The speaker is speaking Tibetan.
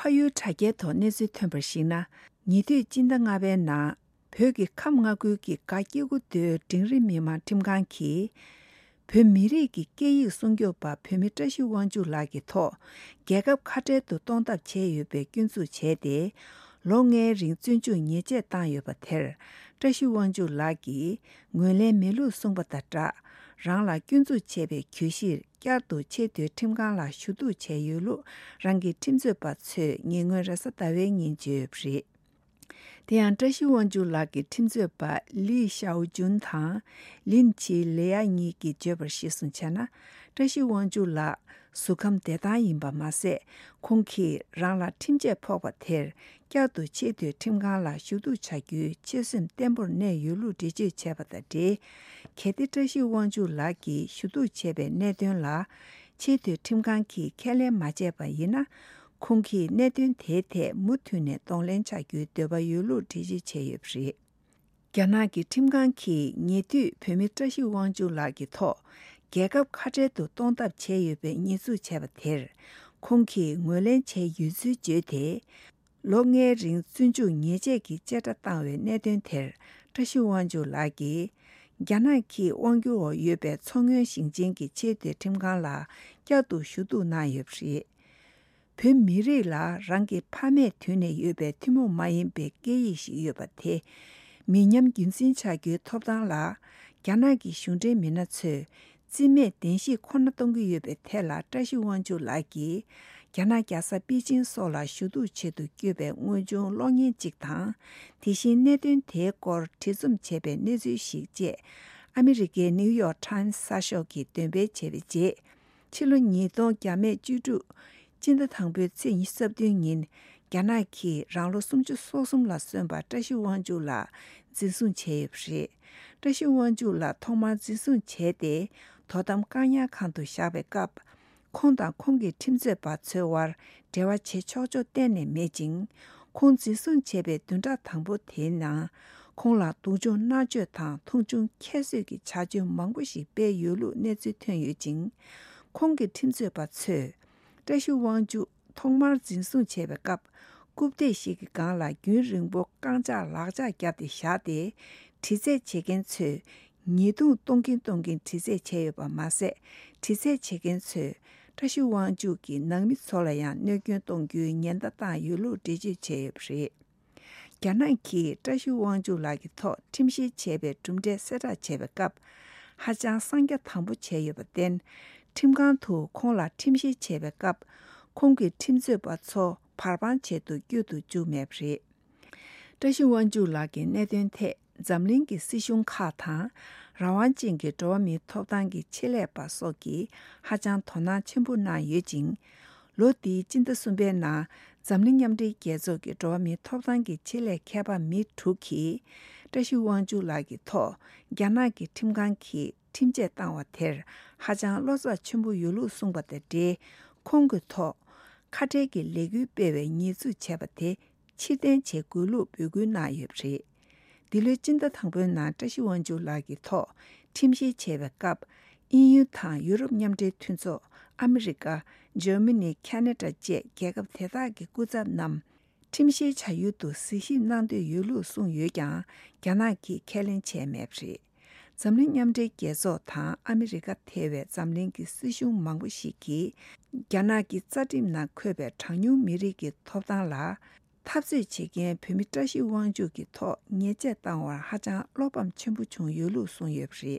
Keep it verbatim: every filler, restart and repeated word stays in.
ཕ་ཡུལ་དྲ་རྒྱའི་ཐོག་གནས་ཚུལ་ཐོན་པར་གཞིགས་ན། ཉེ་དུས་སྤྱི་ཟླ་ལྔ་པའི་ནང་། བོད་ཀྱི་ཁམས་མངའ་ཁུལ་གྱི་སྒ་སྐྱེ་རྒུ་མདོའི་འབྲིང་རིམ་མི་དམངས་ཁྲིམས་ཁང་གིས། བོད་མི་རིགས་ཀྱི་སྐད་ཡིག་སྲུང་སྐྱོབ་པ་བོད་མི་བཀྲ་ཤིས་དབང་ཕྱུག་ལགས་ཀྱི་ཐོག་རྒྱལ་ཁབ་ཁ་བྲལ་དུ་གཏོང་ཐབས་བྱས་ཡོད་པའི་སྐྱོན་འཛུགས་བྱས་ཏེ། ལོ་ལྔའི་རིང་བཙོན་འཇུག་ཉེས་ཆད་བཏང་ཡོད་པ་དེར། བཀྲ་ཤིས་དབང་ཕྱུག་ལགས་ཀྱིས་ངོས་ལེན་མེད་ལུགས་གསུངས་པ་དང་སྦྲགས། རང་ལ་སྐྱོན་འཛུགས་བྱས་པའི་གྱོད་གཞིར། བསྐྱར་དུ་ཆེས་མཐོའི་ཁྲིམས་ཁང་ལ་ཞུ་གཏུག་བྱས་ཡོད་ལུགས་རང་གི་ཁྲིམས་རྩོད་པ་ཚོས་ཉེ་སྔོན་རེས་གཟའ་ཟླ་བའི་ཉིན་བརྗོད་ཡོད་པ་རེད། དེ་ཡང་། བཀྲ་ཤིས་དབང་ཕྱུག་ལགས་ཀྱི་ཁྲིམས་རྩོད་པ་ལི་ཞའོ་ཅུན་དང་། ལིན་ཆི་ལེ་ཡ་གཉིས་ཀྱིས་བརྗོད་པར་གཞིར་བཟུང་བྱས་ན། བཀྲ་ཤིས་དབང་ཕྱུག་ལགས་གཟུགས་ཁམས་བདེ་ཐང་ཡིན་པ་མ་ཟད། ཁོང་གིས་རང་ལ་ཁྲིམས་ཆད་ཕོག་པ་དེར། བསྐྱར་དུ་ཆེས་མཐོའི་ཁྲིམས་ཁང་ལ་ཞུ་གཏུག་བྱ་རྒྱུའི་ཆོད་སེམས་བརྟན་པོར་གནས་ཡོད་ལུགས་འགྲེལ་བརྗོད་བྱས་པ་དང་འབྲེལ། གལ་ཏེ་བཀྲ་ཤིས་དབང་ཕྱུག་ལགས་ཀྱིས་ཞུ་གཏུག་བྱས་པའི་གནད་དོན་ལ། ཆེས་མཐོའི་ཁྲིམས་ཁང་གིས་ཁས་ལེན་མ་བྱས་པ་ཡིན་ན། ཁོང་གིས་གནད་དོན་དེའི་ཐད་མུ་མཐུད་ནས་གདོང་ལེན་བྱ་རྒྱུའི་འདོད་པ་ཡོད་ལུགས་འགྲེལ་བརྗོད་བྱས་ཡོད་པ་རེད། རྒྱ་ནག་གི་ཁྲིམས་ཁང་གིས་ཉེ་དུས་བོད་མི་བཀྲ་ཤིས་དབང་ཕྱུག་ལགས་ཀྱི་ཐོག་རྒྱལ་ཁབ་ཁ་བྲལ་དུ་གཏོང་ཐབས་བྱས་ཡོད་པའི་ཉེས་འཛུགས་བྱས་པ་དེར། ཁོང་གིས་ངོས་ལེན་བྱས་ཡོད་ཚུལ་བརྗོད་དེ། ལོ་ལྔའི་རིང་བཙོན་འཇུག་ཉེས་ཆད་ཀྱི་བཅད་ཁྲ་བཏང་བའི་གནད་དོན་དེར། བཀྲ་ཤིས་དབང་ཕྱུག་ལགས་ཀྱིས། རྒྱ་ནག་གིས་དབང་སྒྱུར་འོག་ཡོད་པའི་མཚོ་སྔོན་ཞིང་ཆེན་གྱི་ཆེས་མཐོའི་ཁྲིམས་ཁང་ལ་བསྐྱར་དུ་ཞུ་གཏུག་གནང་ཡོད་པ་རེད། བོད་མི་རིགས་ལ་རང་གི་ཕ་མེས་དུས་ནས་ཡོད་པའི་ཐུན་མོང་མ་ཡིན་པའི་སྐད་ཡིག་ཞིག་ཡོད་པ་དེ། མི་ཉམས་རྒྱུན་འཛིན་བྱ་རྒྱུའི་ཐོབ་ཐང་ལ། རྒྱ་ནག་གི་གཞུང་འབྲེལ་མི་སྣ་ཚོས། རྩིས་མེད་གདན་ཞུ་ཁོ་ན་གཏོང་གི་ཡོད་པའི་ཐད་ལ། བཀྲ་ཤིས་དབང་ཕྱུག་ལགས་ཀྱིས། རྒྱ་ནག་རྒྱལ་ས་པེ་ཅིང་སོགས་ལ་ཞུ་གཏུག་ཆེད་དུ་བསྐྱོད་པའི་དངོས་བྱུང་གློག་བརྙན་གཅིག་དང་། དེ་བཞིན་གནད་དོན་དེའི་སྐོར་བྲིས་རྩོམ་བྱས་པའི་གནས་ཚུལ་ཞིག་བཅས། ཨ་མི་རི་ཀའི་ནིའུ་ཡོག་ཊའིམ་གསར་ཤོག་གིས་འདོན་སྤེལ་བྱས་པའི་རྗེས། ཕྱི་ལོ་ཉིས་སྟོང་བརྒྱ་མེད་བཅུ་དྲུག་སྤྱི་ཟླ་དང་པོའི་ཚེས་ཉི་ཤུ་རྩ་བདུན་ཉིན། རྒྱ་ནག་གིས་རང་ལོ་སུམ་ཅུ་སོ་གསུམ་ལ་སོན་པ་བཀྲ་ཤིས་དབང་ཕྱུག་ལགས་འཛིན་བཟུང་བྱས་ཡོད་པ་རེད། བཀྲ་ཤིས་དབང་ཕྱུག་ལགས་ཐོག་མར་འཛིན་བཟུང་བྱས་ཏེ། དོ་དམ་བཀག་ཉར་ཁང་དུ་བཞག་པའི་སྐབས། ཁོང་དང་ཁོང་གི་ཁྲིམས་རྩོད་པ་ཚོའི་དབར་འབྲེལ་བ་བྱེད་ཆོག་ཆོག་གཏན་ནས་མེད་ཅིང་། ཁོང་འཛིན་བཟུང་བྱས་པའི་བདུན་ཕྲག་དང་པོ་དེའི་ནང་། ཁོང་ལ་སྡུག་སྦྱོང་མནར་གཅོད་དང་མཐོང་ཆུང་ཁྱད་གསོད་ཀྱི་བྱ་སྤྱོད་མང་པོ་ཞིག་སྤེལ་ཡོད་ལུགས་གནས་ཚུལ་ཐོན་ཡོད་ཅིང་། ཁོང་གི་ཁྲིམས་རྩོད་པ་ཚོས། བཀྲ་ཤིས་དབང་ཕྱུག་ཐོག་མར་འཛིན་བཟུང་བྱས་པའི་སྐབས། རྐུབ་སྟེགས་ཤིག་གི་སྒང་ལ་རྒྱུན་རིང་པོ་རྐང་ལྕགས་ལག་ལྕགས་བརྒྱབ་སྟེ་བཞག་སྟེ། དྲི་རྩད་བྱེད་མཁན་ཚོས་ཉེས་རྡུང་གཏོང་གིན་གཏོང་གིན་དྲི་རྩད་བྱས་ཡོད་པ་མ་ཟད། དྲི་རྩད་བྱེད་མཁན་ཚོས་བཀྲ་ཤིས་དབང་ཕྱུག་གི་ནང་མི་ཚོ་ལ་ཡང་གནོད་སྐྱོན་གཏོང་རྒྱུའི་ཉེན་བརྡ་བཏང་ཡོད་ལུགས་འགྲེལ་བརྗོད་བྱས་ཡོད་པ་རེད། རྒྱ་ནག་གིས་བཀྲ་ཤིས་དབང་ཕྱུག་ལགས་ཀྱི་ཐོག་ཁྲིམས་བཤེར་བྱས་པའི་གྲུབ་འབྲས་གསལ་བསྒྲགས་བྱས་པའི་སྐབས། ཧ་ཅང་གསང་རྒྱ་དམ་པོ་བྱས་ཡོད་པར་བརྟེན། ཁྲིམས་ཁང་དུ་ཁོང་ལ་ཁྲིམས་བཤེར་བྱས་པའི་སྐབས། ཁོང་གི་ཁྲིམས་རྩོད་པ་ཚོ་བར་དཔང་བྱེད་དུ་བསྐྱོད་དུ་བཅུག་མེད་པ་རེད། བཀྲ་ཤིས་དབང་ཕྱུག་ལགས་ཀྱི་གནད་དོན་ཐད་འཛམ་གླིང་གི་སྲིད་གཞུང་ཁག་དང་། རང་དབང་ཅན་གྱི་འགྲོ་བ་མིའི་ཐོབ་ཐང་གི་ཆེད་ལས་པ་སོགས་ཀྱིས་ཧ་ཅང་དོ་སྣང་ཆེན་པོ་གནང་ཡོད་ཅིང་། ལོ་འདིའི་སྤྱི་ཟླ་གསུམ་པའི་ནང་། འཛམ་གླིང་མཉམ་འབྲེལ་རྒྱལ་ཚོགས་ཀྱི་འགྲོ་བ་མིའི་ཐོབ་ཐང་གི་ཆེད་ལས་མཁས་པ་མི་དྲུག་གིས། བཀྲ་ཤིས་དབང་ཕྱུག་ལགས་ཀྱི་ཐོག་རྒྱ་ནག་གི་ཁྲིམས་ཁང་གིས་ཁྲིམས་ཆད་བཏང་བ་དེར་ཧ་ཅང་བློ་འཚབ་ཆེན་པོ་ཡོད་ལུགས་གསུངས་པ་དང་འབྲེལ། ཁོང་གི་ཐོག་ཁ་བྲལ་གྱི་ལས་འགུལ་སྤེལ་བའི་ཉེས་འཛུགས་བྱས་པ་དེ། ཕྱིར་འཐེན་བྱེད་དགོས་ལུགས་འབོད་སྐུལ་གནང་ཡོད་པ་རེད། འདི་ལོའི་སྤྱི་ཟླ་དང་པོའི་ནང་། བཀྲ་ཤིས་དབང་ཕྱུག་ལགས་ཀྱི་ཐོག་ཁྲིམས་བཤེར་བྱས་པའི་སྐབས། དབྱིན་ཡུལ་དང་ཡུ་རོབ་མཉམ་འབྲེལ་མཐུན་ཚོགས། ཨ་མི་རི་ཀ། འཇར་མ་ནི། ཁ་ན་ཌ་བཅས་རྒྱལ་ཁབ་དེ་དག་གི་སྐུ་ཚབ་རྣམས། ཁྲིམས་བཤེར་བྱ་ཡུལ་དུ་གཟིགས་ཞིབ་གནང་འདོད་ཡོད་ལུགས་གསུངས་ཡོད་ཀྱང་། རྒྱ་ནག་གིས་ཁས་ལེན་བྱས་མེད་པ་རེད། འཛམ་གླིང་མཉམ་འབྲེལ་རྒྱལ་ཚོགས་དང་ཨ་མི་རི་ཀ་ཐེ་བའི་འཛམ་གླིང་གི་སྲིད་གཞུང་མང་པོ་ཞིག་གིས། རྒྱ་ནག་གི་རྩ་ཁྲིམས་ནང་འཁོད་པའི་གྲངས་ཉུང་མི་རིགས་ཀྱི་ཐོབ་ཐང་ལ། འཐབ་རྩོད་བྱེད་མཁན་བོད་མི་བཀྲ་ཤིས་དབང་ཕྱུག་གི་ཐོག་ཉེས་ཆད་བཏང་བར་ཧ་ཅང་བློ་ཕམ་ཆེན་པོ་བྱུང་ཡོད་ལུགས་གསུངས་ཡོད་པ་རེད།